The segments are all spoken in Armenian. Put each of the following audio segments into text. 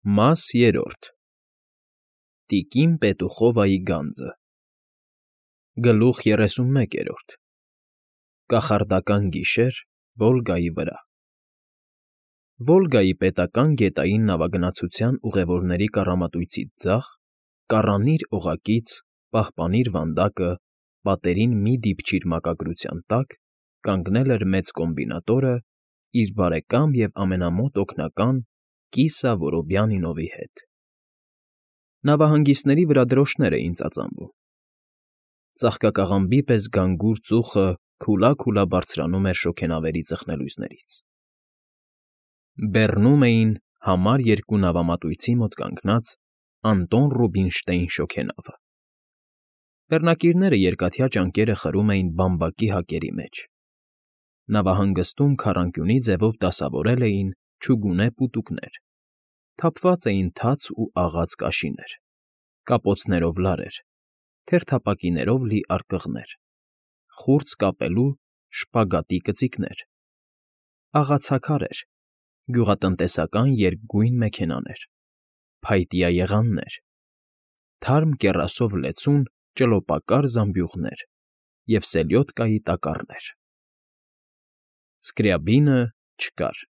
Մաս III Տիկին Պետուխովայի գանձը Գլուխ 31 Կախարդական գիշեր Վոլգայի վրա Վոլգայի պետական գետային նավագնացության ուղևորների կառամատույցից ձախ, կառանիր օղակից, պահպանիր վանդակը, պատերին մի դիպչիր մակագրության տակ, կանգնել էր մեծ կոմբինատորը իր բարեկամ և ամենամոտ օգնական Կիսա Որոբյանինովի հետ։ Նավահանգիստների վրա դրոշներ էին ծածանվում։ Ծաղկակաղամբի պես գանգուր ծուխը քուլա֊քուլա բարձրանում էր շոգենավերի ծխնելույզներից։ Բեռնում էին համար երկու նավամատույցի մոտ կանգնած Անտոն Ռուբինշտեյն շոգենավը։ Բեռնակիրները երկաթյա ճանկերը խրում էին բամբակի հակերի մեջ։ Նավահանգստում քառանկյունի ձևով դասավորել էին չուգունե պուտուկներ, թափված էին թաց ու աղաց կաշիներ, կապոցներով լարեր, թերթապակիներով լի արկղներ, խուրձ կապելու շպագատի կծիկներ, աղացաքարեր, գյուղատնտեսական երկգույն մեքենաներ, փայտյա եղաններ, թարմ կեռասով լեցուն ճլոպակար զամբյուղներ և սելյոդկայի տակառներ։ Սկրյաբինը չկար։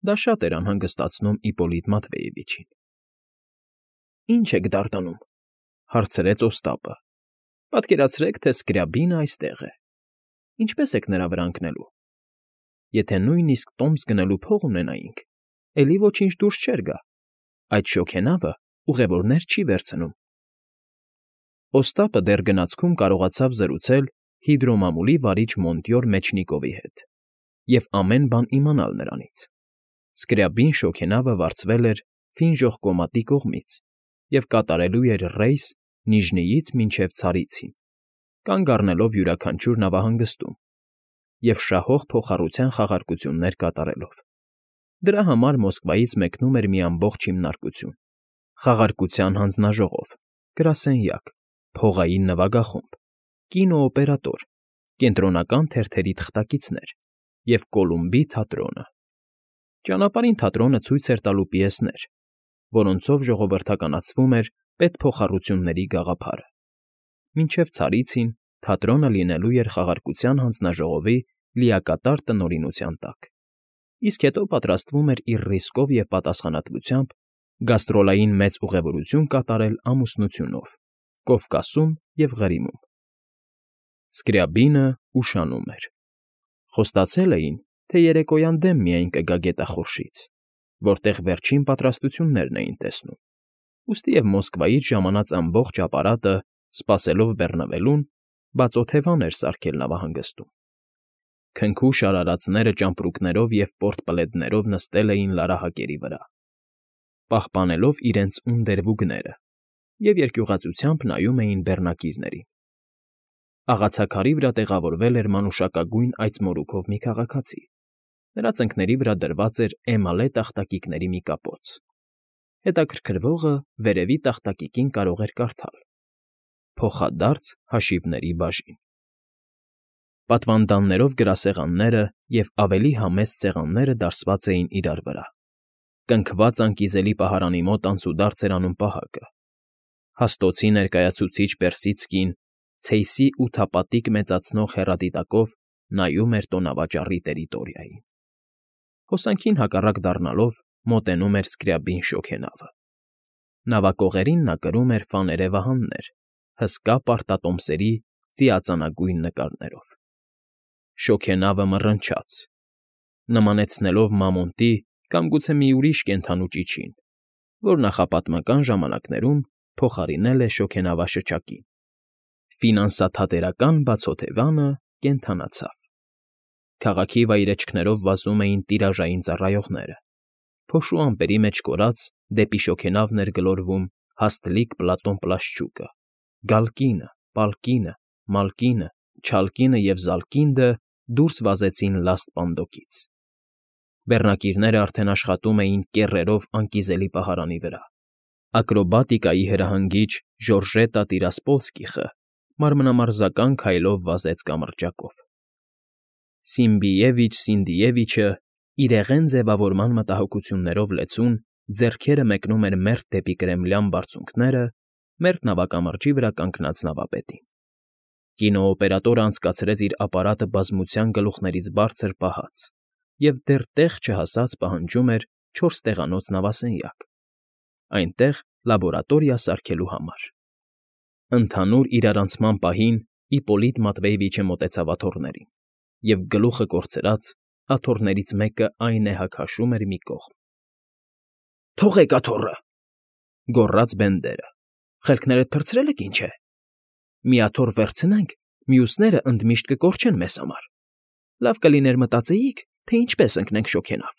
Դա շատ էր անհանգստացնում Իպոլիտ Մատվեևիչին։ ֊ Ի՞նչ եք դարդանում,֊ հարցրեց Օստապը։ ֊ Պատկերացրեք, թե Սկրյաբինը այստեղ է։ Ինչպե՞ս եք նրա վրա ընկնելու։ Եթե նույնիսկ տոմս գնելու փող ունենայինք, էլի ոչինչ դուրս չէր գա։ Այդ շոգենավը ուղևորներ չի վերցնում։ Օստապը դեռ գնացքում կարողացավ զրուցել հիդրոմամուլի վարիչ Մոնտյոր Մեչնիկովի հետ և ամեն բան իմանալ նրանից։ Սկրյաբին շոգենավը վարձվել էր Ֆինժոխկոմատի կողմից և կատարելու էր ռեյս Նիժնիից մինչև Ցարիցին, կանգ առնելով յուրաքանչյուր նավահանգստում և շահող փոխառության խաղարկություններ կատարելով։ Դրա համար Մոսկվայից մեկնում էր մի ամբողջ հիմնարկություն՝ խաղարկության հանձնաժողով, գրասենյակ, փողային նվագախումբ, կինոօպերատոր, կենտրոնական թերթերի թղթակիցներ և Կոլումբի թատրոնը։ Ճանապարհին թատրոնը ցույց էր տալու պիեսներ, որոնցով ժողովրդականացվում էր պետփոխառությունների գաղափարը։ Մինչև Ցարիցին թատրոնը լինելու էր խաղարկության հանձնաժողովի լիակատար տնօրինության տակ, իսկ հետո պատրաստվում էր իր ռիսկով և պատասխանատվությամբ գաստրոլային մեծ ուղևորություն կատարել ամուսնությունով Կովկասում և Ղրիմում։ Սկրյաբինը ուշանում էր։ Խոստացել էին, թե երեկոյան դեմ միայն կգա գետախորշից, որտեղ վերջին պատրաստություններն էին տեսնում, ուստի և Մոսկվայից ժամանած ամբողջ ապարատը, սպասելով բեռնվելուն, բացօթևան էր սարքել նավահանգստում։ Քնքուշ արարածները ճամպրուկներով և պորտպլետներով նստել էին լարահակերի վրա, պահպանելով իրենց ունդերվուգները և երկյուղածությամբ նայում էին բեռնակիրներին։ Աղացաքարի վրա տեղավորվել էր մանուշակագույն այծմորուքով մի քաղաքացի։ Նրա ծնկների վրա դրված էր էմալե տախտակիկների մի կապոց։ Հետաքրքրվողը վերևի տախտակիկին կարող էր կարդալ. «Փոխադարձ հաշիվների բաժին»։ Պատվանդաններով գրասեղանները և ավելի համեստ սեղանները դարսված էին իրար վրա։ Կնքված անկիզելի պահարանի մոտ անցուդարձ էր անում պահակը։ Հաստոցի ներկայացուցիչ Պերսիցկին ցեյսի ութապատիկ մեծացնող հեռադիտակով նայում էր տոնավաճառի տերիտորիային։ Հոսանքին հակառակ դառնալով մոտենում էր Սկրյաբին շոգենավը։ Նավակողերին նա կրում էր ֆաներե վահաններ, հսկա պարտատոմսերի ծիածանագույն նկարներով։ Շոգենավը մռնչաց, նմանեցնելով մամոնտի կամ գուցե մի ուրիշ կենդանու ճիչին, որ նախապատմական ժամանակներում փոխարինել է շոգենավաշչակին։ Ֆինանսաթատերական բացօթևանը կենդանացավ։ Քաղաքի վայրէջքներով վազում էին տիրաժային ծառայողները։ Փոշու ամպերի մեջ կորած դեպի շոգենավն էր գլորվում հաստլիկ Պլատոն Պլաշչուկը, Գալկինը, Պալկինը, Մալկինը, Չալկինը և Զալկինդը դուրս վազեցին լաստ պանդոկից։ Բեռնակիրները արդեն աշխատում էին կեռերով անկիզելի պահարանի վրա։ Ակրոբատիկայի հրահանգիչ Ժորժետա Տիրասպոլսկիխը մարմնամարզական քայլով վազեց կամրջակով։ Սիմբիևիչ Սինդիևիչը, իրեղեն ձևավորման մտահոգություններով լեցուն, ձեռքերը մեկնում էր մերթ դեպի կրեմլյան բարձունքները, մերթ նավակամրջի վրա կանգնած նավապետին։ Կինոօպերատորը անցկացրեց իր ապարատը բազմության գլուխներից բարձր պահած և դեռ տեղ չհասած պահանջում էր 4 տեղանոց նավասենյակ, այնտեղ լաբորատորիա սարքելու համար։ Ընդհանուր իրարանցման պահին Իպոլիտ Մատվեևիչը մոտեցավ աթոռներին, և գլուխը կորցրած աթոռներից մեկը այնեհա քաշում էր մի կողմ։ «Թողեք աթոռը,֊ գոռաց Բենդերը։֊ Խելքներդ թռցրել եք, ինչ է։ Մի աթոռ վերցնենք, մյուսները ընդմիշտ կկորչեն մեզ համար։ Լավ կլիներ մտածեիք, թե ինչպես ընկնենք շոգենավ»։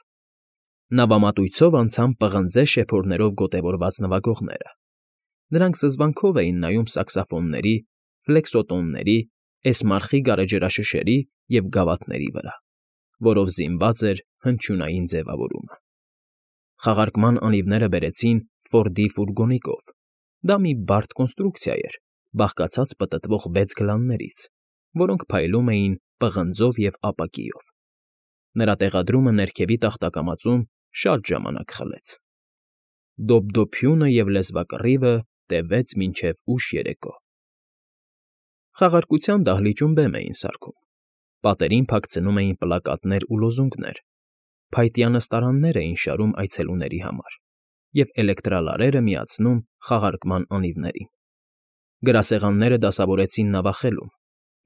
Նավամատույցով անցան պղնձե շեփորներով գոտևորված նվագողները։ Նրանք զզվանքով էին նայում սաքսոֆոնների, ֆլեքսոտոնների, էսմարխի գարեջրաշշերի և գավաթների վրա, որով զինված էր հնչյունային ձևավորումը։ Խաղարկման անիվները բերեցին Ֆորդի ֆուրգոնիկով։ Դա մի բարդ կոնստրուկցիա էր, բաղկացած պտտվող 6 գլաններից, որոնք փայլում էին պղնձով և ապակիով։ Նրա տեղադրումը ներքևի տախտակամածում շատ ժամանակ խլեց։ Դոփդոփյունը և լեզվակռիվը տևեց մինչև ուշ երեկո։ Խաղարկության դահլիճում բեմ էին սարքում, պատերին փակցնում էին պլակատներ ու լոզունգներ, փայտյա նստարաններ էին շարում այցելուների համար և էլեկտրալարերը միացնում խաղարկման անիվներին։ Գրասեղանները դասավորեցին նավախելում,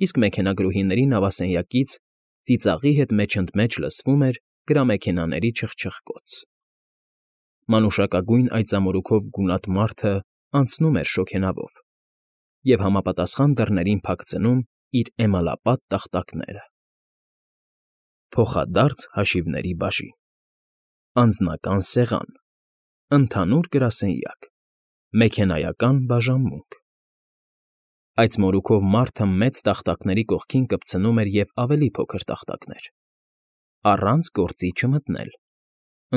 իսկ մեքենագրուհիների նավասենյակից ծիծաղի հետ մեջընդմեջ լսվում էր գրամեքենաների չխչխկոց։ Մանուշակագույն այծամորուքով գունատ մարդը անցնում էր շոգենավով և համապատասխան դռներին փակցնում իր էմալապատ տախտակները։ Փոխադարձ հաշիվների բաժին, անձնական սեղան, ընդհանուր գրասենյակ, մեքենայական բաժանմունք։ Այծմորուքով մարդը մեծ տախտակների կողքին կպցնում էր և ավելի փոքր տախտակներ։ Առանց գործի չմտնել։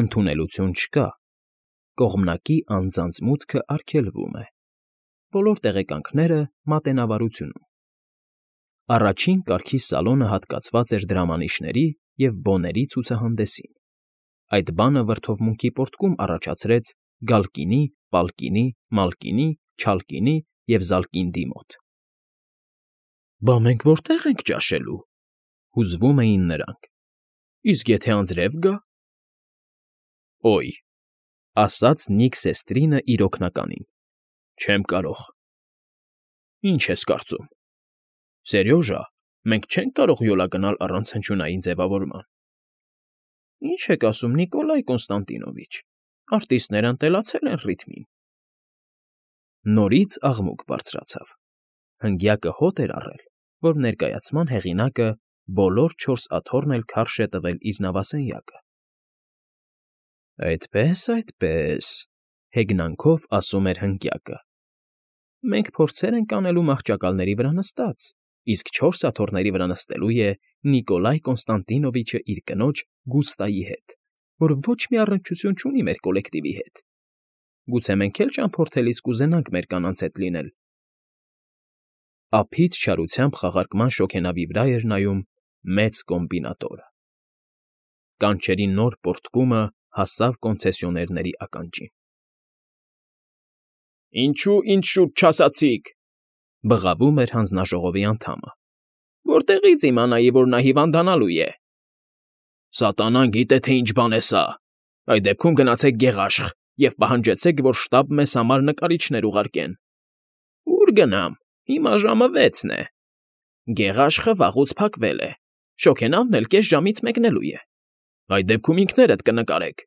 Ընդունելություն չկա։ Կողմնակի անձանց մուտքը արգելվում է։ Բոլոր տեղեկանքները մատենավարությունում։ Առաջին կարգի սալոնը հատկացված էր դրամանիշների և բոների ցուցահանդեսին։ Այդ բանը վրդովմունքի պոռթկում առաջացրեց Գալկինի, Պալկինի, Մալկինի, Չալկինի և Զալկինդի մոտ։ «Բա մենք որտե՞ղ ենք ճաշելու,֊ հուզվում էին նրանք։ Իսկ եթե անձրև գա…»։ «Օյ,֊ ասաց Նիք Սեստրինը իր օգնականին,֊ չեմ կարող»։ «Ինչ ես կարծում, Սերյոժա, մենք չենք կարող յոլա գնալ առանց հնչյունային ձևավորման»։ «Ինչ եք ասում, Նիկոլայ Կոնստանտինովիչ, արտիստներն ընտելացել են ռիթմին»։ Նորից աղմուկ բարձրացավ։ Հնգյակը հոտ էր առել, որ ներկայացման հեղինակը բոլոր 4 աթոռն էլ քարշ է տվել իր նավասենյակը։ «Այդպե՜ս, այդպե՜ս,֊ հեգնանքով ասում էր հնգյակը,֊ մենք փորձեր ենք անելու մահճակալների վրա նստած, իսկ 4 աթոռների վրա նստելու է Նիկոլայ Կոնստանտինովիչը իր կնոջ Գուստայի հետ, որ ոչ մի առնչություն չունի մեր կոլեկտիվի հետ։ Գուցե մենք էլ ճամփորդելիս կուզենանք մեր կանանց հետ լինել»։ Ափից չարությամբ խաղարկման շոգենավի վրա էր նայում մեծ կոմբինատորը։ Կանչերի նոր պոռթկումը հասավ կոնցեսիոներների ականջին։ «Ինչո՞ւ ինձ շուտ չասացիք,֊ բղավում էր հանձնաժողովի անդամը,֊ որտեղի՞ց իմանայի, որ նա հիվանդանալու է»։ «Սատանան գիտե, թե ինչ բան է սա։ Այդ դեպքում գնացեք Գեղաշխ և պահանջեցեք, որ շտապ մեզ համար նկարիչներ ուղարկեն»։ «Ո՞ւր գնամ, հիմա ժամը 6-ն է։ Գեղաշխը վաղուց փակվել է, շոգենավն էլ կես ժամից մեկնելու է։ Այդ դեպքում ինքներդ կնկարեք,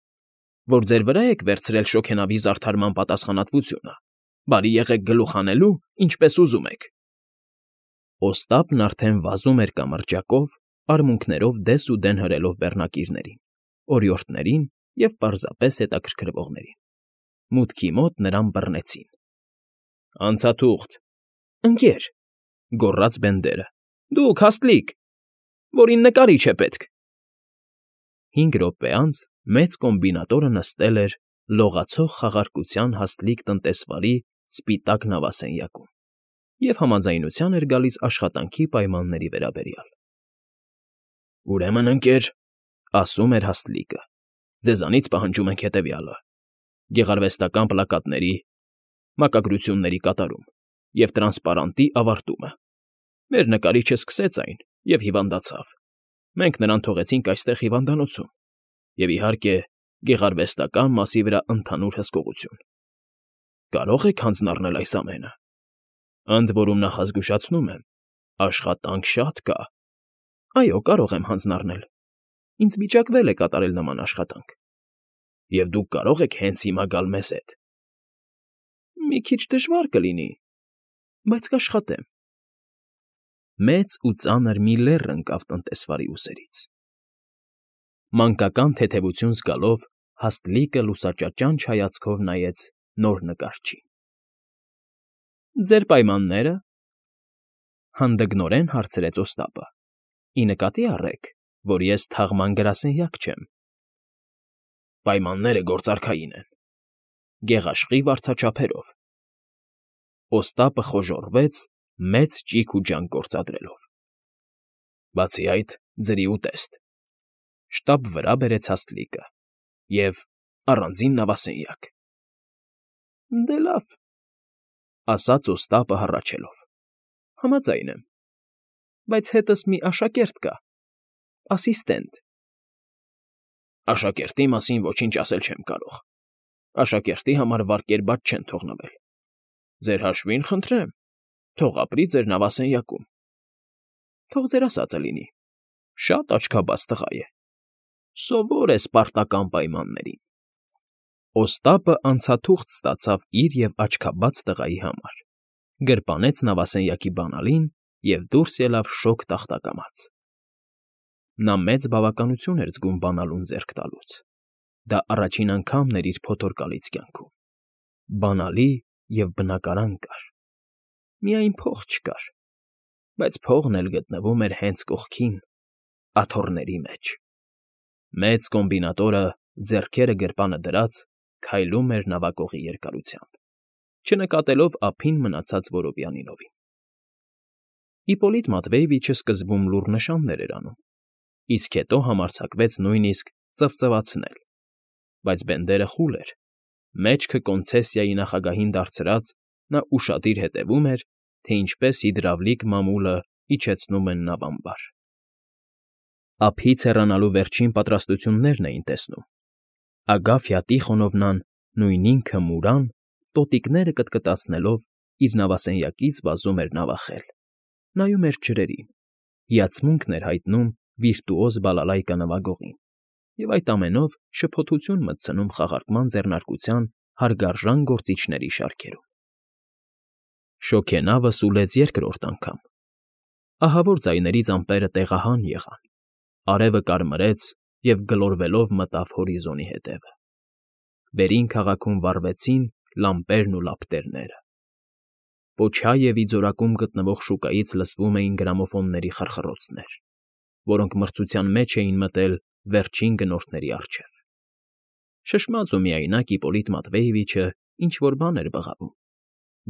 որ ձեր վրա եք վերցրել շոգենավի զարդարման պատասխանատվությունը։ Բարի եղեք գլուխ հանելու, ինչպես ուզում եք»։ Օստապն արդեն վազում էր կամրջակով, արմունկներով դես ու դեն հրելով բեռնակիրներին, օրիորդներին և պարզապես հետաքրքրվողներին։ Մուտքի մոտ նրան բռնեցին։ «Անցաթուղթ,֊ Ընկ.», գոռաց Բենդերը,֊ դուք, հաստլիկ, որին նկարիչ է պետք»։ 5 րոպե անց մեծ կոմբինատորը նստել էր լողացող խաղարկության հաստլիկ տնտեսվարի սպիտակ նավասենյակում և համաձայնության էր գալիս աշխատանքի պայմանների վերաբերյալ։ «Ուրեմն, ընկեր,֊ ասում էր հաստլիկը,֊ ձեզանից պահանջում ենք հետևյալը. գեղարվեստական պլակատների, մակագրությունների կատարում և տրանսպարանտի ավարտումը։ Մեր նկարիչը սկսեց այն և հիվանդացավ։ Մենք նրան թողեցինք այստեղ հիվանդանոցում և, իհարկե, գեղարվեստական մասի վրա ընդհանուր հսկողություն։ Կարո՞ղ եք հանձնառնել այս ամենը։ Ընդ որում նախազգուշացնում եմ, աշխատանք շատ կա։ Այո, կարող եմ հանձնառնել։ Ինձ վիճակվել է կատարել նման աշխատանք։ Եվ դուք կարող եք հենց հիմա գալ մեզ հետ։ Մի քիչ դժվար կլինի, բայց կաշխատեմ։ Մեծ ու ծանր մի լեռ ընկավ տնտեսվարի ուսերից։ Մանկական թեթևություն զգալով Հաստլիկը լուսաճաճանչ հայացքով նայեց նոր նկարչին։ Ձեր պայմաննե՞րը,֊ հանդգնորեն հարցրեց Օստապը։ Ի նկատի առեք, որ ես թաղման գրասենյակ չեմ։ Պայմանները գործարքային են, գեղաշխի վարձաչափերով։ Օստապը խոժոռվեց, մեծ ճիգ ու ջանք գործադրելով։ Բացի այդ, ձրի ուտեստ, շտապ վրա բերեց Հաստլիկը, և առանձին նավասենյակ։ Դե լավ,֊ ասաց Օստապը հառաչելով։ Համաձայն եմ, բայց հետս մի աշակերտ կա, ասիստենտ։ Աշակերտի մասին ոչինչ ասել չեմ կարող։ Աշակերտի համար վարկեր բաց չեն թողնվել։ Ձեր հաշվին խնդրեմ, թող ապրի ձեր նավասենյակում։ Թող ձեր ասածը լինի, շատ աչքաբաց տղա է, սովոր է սպարտական պայմաններին։ Օստապը անցաթուղթ ստացավ իր և աչքաբաց տղայի համար, գրպանեց նավասենյակի բանալին և դուրս ելավ շոգ տախտակամած։ Նա մեծ բավականություն էր զգում բանալուն ձեռք տալուց։ Դա առաջին անգամն էր իր փոթորկալից կյանքում։ Բանալի և բնակարան կար։ Միայն փող չկար, բայց փողն էլ գտնվում էր հենց կողքին, աթոռների մեջ։ Մեծ կոմբինատորը, ձեռքերը գրպանը դրած, քայլում էր նավակողի երկարությամբ, չնկատելով ափին մնացած որովյանիներին։ Իպոլիտ Մատվեևիչը սկզբում լուռ նշաններ էր անում, իսկ հետո համարձակվեց նույնիսկ ծվծվացնել, բայց բենդերը խուլ էր, մեջքը կոնցեսիայի նախագահին դարձրած, նա ուշադիր հետևում էր, թե ինչպես հիդրավլիկ մամուլը իջեցնում են նավամբար։ Ափից հեռանալու վերջին պատրաստություններն էին տեսնում։ Ագաֆյա Տիխոնովնան նույն ինքը Մուրան, տոտիկները կտկտացնելով, իր նավասենյակից վազում էր նավախել, նայում էր ջրերին, հիացմունքն էր հայտնում վիրտուոզ բալալայկա նվագողին և այդ ամենով շփոթություն մտցնում խաղարկման ձեռնարկության հարգարժան գործիչների շարքերում։ Շոգենավը սուլեց երկրորդ անգամ։ Ահավոր ձայներից ամպերը տեղահան եղան, արևը կարմրեց և գլորվելով մտավ հորիզոնի հետևը։ Վերին քաղաքում վառվեցին լամպերն ու լապտերները։ Պոչաևի ձորակում գտնվող շուկայից լսվում էին գրամոֆոնների խրխռոցներ, որոնք մրցության մեջ էին մտել վերջին գնորդների առջև։ Շշմած ու միայնակ Իպոլիտ Մատվեևիչը ինչ֊որ բան էր բղավում,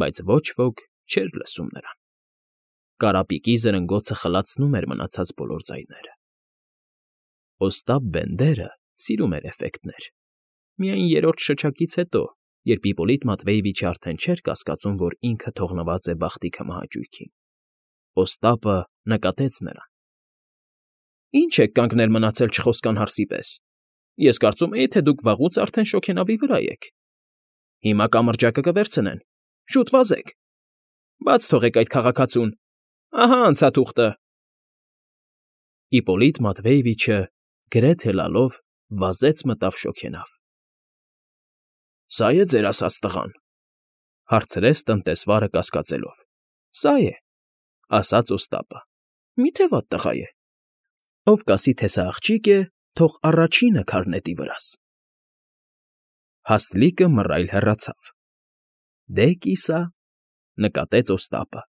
բայց ոչ ոք չէր լսում նրան։ Կարապիկի զրնգոցը խլացնում էր մնացած բոլոր ձայները։ Օստապ Բենդերը սիրում էր էֆեկտներ։ Միայն երրորդ շչակից հետո, երբ Իպոլիտ Մատվեևիչը արդեն չէր կասկածում, որ ինքը թողնված է բախտի քմահաճույքին։ Օստապը նկատեց նրան։ Ինչ եք կանգնել մնացել չխոսքան հարսի պես։ Ես կարծում էի, թե դուք վաղուց արդեն շոգենավի վրա եք։ Հիմա կամրջակը կվերցնեն։ Շուտ վազեք։ Բաց թողեք այդ քաղաքացուն։ Ահա անցաթուղթը։ Իպոլիտ Մատվեևիչը գրեթե լալով վազեց մտավ շոգենավ։ Սա՞ է ձեր ասած տղան,֊ հարցրեց տնտեսվարը կասկածելով։ Սա է,֊ ասաց Օստապը։ Մի՞թե վատ տղա է։ Ով կասի, թե սա աղջիկ է, թող առաջինը քար նետի վրաս։ Հաստլիկը մռայլ հեռացավ։ Դե կիսա,֊ նկատեց Օստապը,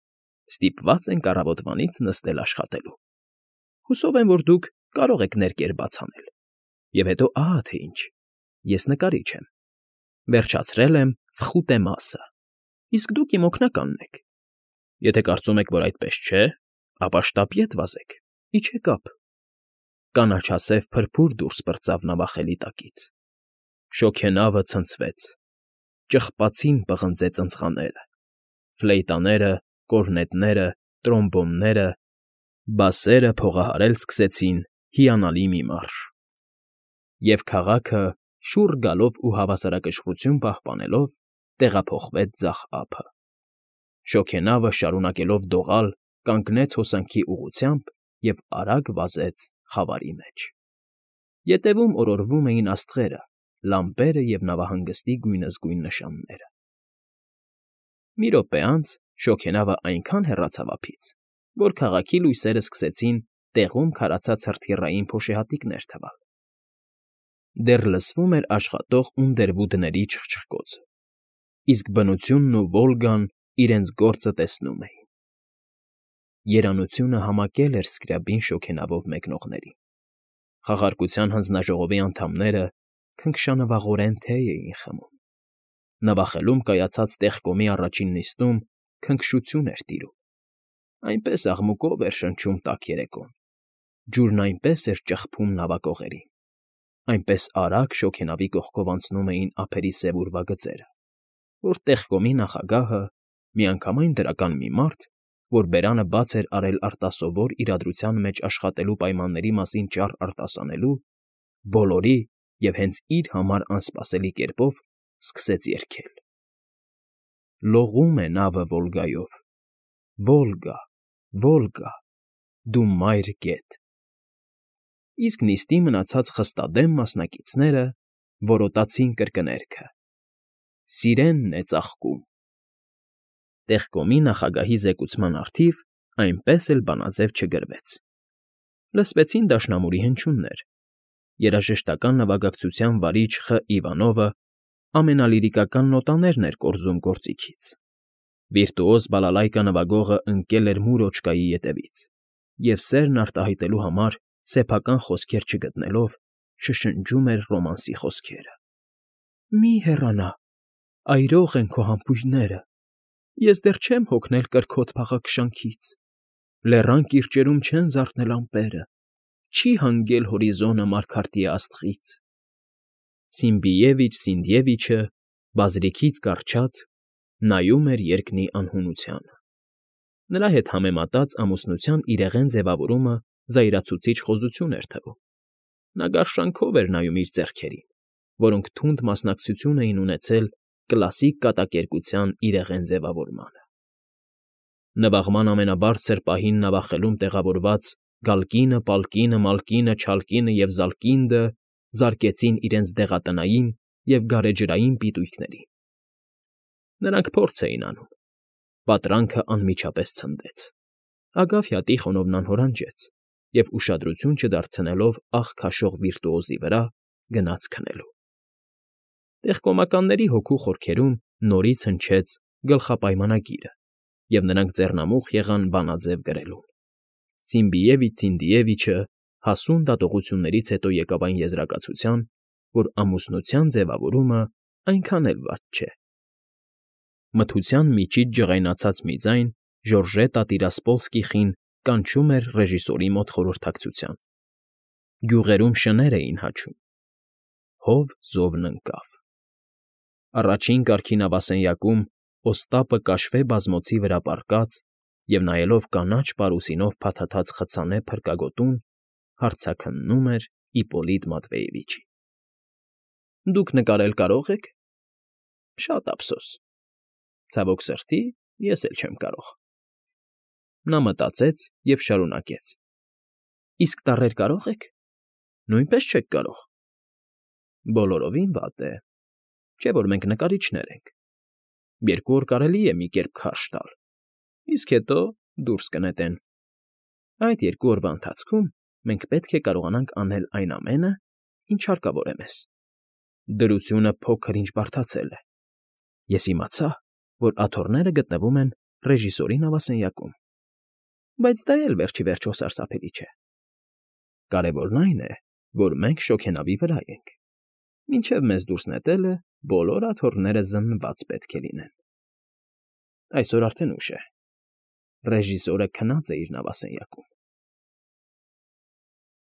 ստիպված ենք առավոտվանից նստել աշխատելու։ Հուսով եմ, որ դուք կարող եք ներկեր բաց անել։ Եվ հետո ահա թե ինչ. ես նկարիչ եմ։ Վերջացրել եմ Ֆխուտե մասը, իսկ դուք իմ օգնականն եք։ Եթե կարծում եք, որ այդպես չէ, ապա շտապ ետ վազեք, իջեք ափ։ Կանաչասև փրփուր դուրս պրծավ նավախելի տակից։ Շոգենավը ցնցվեց, ճղպացին պղնձեց ընցխաները, ֆլեյտաները, կորնետները, տրոմբոնները, բասերը փողահարել սկսեցին հիանալի մի մարշ, և քաղաքը, շուռ գալով ու հավասարակշռություն պահպանելով, տեղափոխվեց ձախ ափը։ Շոգենավը, շարունակելով դողալ, կանգնեց հոսանքի ուղղությամբ և արագ վազեց խավարի մեջ։ Ետևում օրորվում էին աստղերը, լամպերը և նավահանգստի գույնզգույն նշանները։ Մի րոպե անց շոգենավը այնքան հեռացավ ափից, որ քաղաքի լույսերը սկսեցին տեղում քարացած հրթիռային փոշեհատիկներ թվալ։ Դեռ լսվում էր աշխատող ունդերվուդների չխչխկոցը, իսկ բնությունն ու Վոլգան իրենց գործը տեսնում էին։ Երանությունը համակել էր Սկրյաբին շոգենավով մեկնողներին։ Խաղարկության հանձնաժողովի անդամները քնքշանվաղորեն թեյ էին խմում։ Նվախելում կայացած տեղկոմի առաջին նիստում քնքշություն էր տիրում։ Այնպես աղմուկով էր շնչում տաք երեկոն, ջուրն այնպես էր ճխփում նավակողերին, այնպես արագ շոգենավի կողքով անցնում էին ափերի սև ուրվագծերը, որ տեղկոմի նախագահը, միանգամայն դրական մի մարդ, որ բերանը բաց էր արել արտասովոր իրադրության մեջ աշխատելու պայմանների մասին ճառ արտասանելու, բոլորի և հենց իր համար անսպասելի կերպով սկսեց երգել. Լողում է նավը Վոլգայով, Վոլգա, Վոլգա, դու մայր գետ։ Իսկ նիստի մնացած խստադեմ մասնակիցները որոտացին կրկներգը. Սիրենն է ծաղկում։ Տեղկոմի նախագահի զեկուցման առթիվ այնպես էլ բանաձև չգրվեց։ Լսվեցին դաշնամուրի հնչյուններ։ Երաժշտական նվագակցության վարիչ Խ. Իվանովը ամենալիրիկական նոտաներն էր կորզում գործիքից։ Վիրտուոզ բալալայկա նվագողը ընկել էր մուրոճկայի ետևից և սերն արտահայտելու համար սեփական խոսքեր չգտնելով շշնջում էր ռոմանսի խոսքերը. Մի հեռանա, այրող են քո համբույրները, ես դեռ չեմ հոգնել կրքոտ փաղաքշանքից, լեռան կիրճերում չեն զարթնել ամպերը, չի հանգել հորիզոնը մարգարտի աստղից։ Սիմբիևիչ Սինդիևիչը, բազրիքից կառչած, նայում էր երկնի անհունությանը։ Նրա հետ համեմատած ամուսնության իրեղեն ձևավորումը զայրացուցիչ խոզություն էր թվում։ Նա գարշանքով էր նայում իր ձեռքերին, որոնք թունդ մասնակցություն էին ունեցել կլասիկ կատակերգության իրեղեն ձևավորմանը։ Նվաղման ամենաբարձր պահին նվախելում տեղավորված Գալկինը, Պալկինը, Մալկինը, Չալկինը և Զալկինդը զարկեցին իրենց դեղատնային և գարեջրային պիտույքներին։ Նրանք փորձ էին անում։ Պատրանքը անմիջապես ցնդեց։ Ագավյա Տիխոնովն անհորանջեց և, ուշադրություն չդարձնելով աղ քաշող վիրտուոզի վրա, գնաց քնելու։ Տեղկոմականների հոգու խորքերում նորից հնչեց գլխապայմանագիրը, և նրանք ձեռնամուխ եղան բանաձև գրելուն։ Սիմբիևիչ Սինդիևիչը հասուն դատողություններից հետո եկավ այն եզրակացության, որ ամուսնության ձևավորումը այնքան էլ վատ չէ։ Մթության միջից ջղայնացած մի ձայն Ժորժետա Տիրասպոլսկիխին կանչում էր ռեժիսորի մոտ խորհրդակցության։ Գյուղերում շներ էին հաչում։ Հով զովն ընկավ։ Առաջին կարգի նավասենյակում Օստապը կաշվե բազմոցի վրա պառկած և նայելով կանաչ պարուսինով փաթաթած խցանե փրկագոտուն, հարցաքննում էր Իպոլիտ Մատվեևիչին։ Դուք նկարել կարո՞ղ եք։ Շատ ափսոս։ Ցավոք սրտի, ես էլ չեմ կարող։ Նա մտածեց և շարունակեց. Իսկ տառել կարո՞ղ եք։ Նույնպես չեք կարող։ Բոլորովին վատ է, չէ՞ որ մենք նկարիչներ ենք։ 2 օր կարելի է մի կերպ քարշ տալ, իսկ հետո դուրս կնետեն։ Այդ 2 օրվա ընթացքում մենք պետք է կարողանանք անել այն ամենը, ինչ հարկավոր է մեզ։ Դրությունը փոքր֊ինչ բարդացել է։ Ես իմացա, որ աթոռները գտնվում են ռեժիսորի նավասենյակում, բայց դա էլ վերջ ի վերջո սարսափելի չէ։ Կարևորն այն է, որ մենք շոգենավի վրա ենք։ Մինչև մեզ դուրս նետելը բոլոր աթոռները զննված պետք է լինեն։ Այսօր արդեն ուշ է։ Ռեժիսորը քնած է իր նավասենյակում։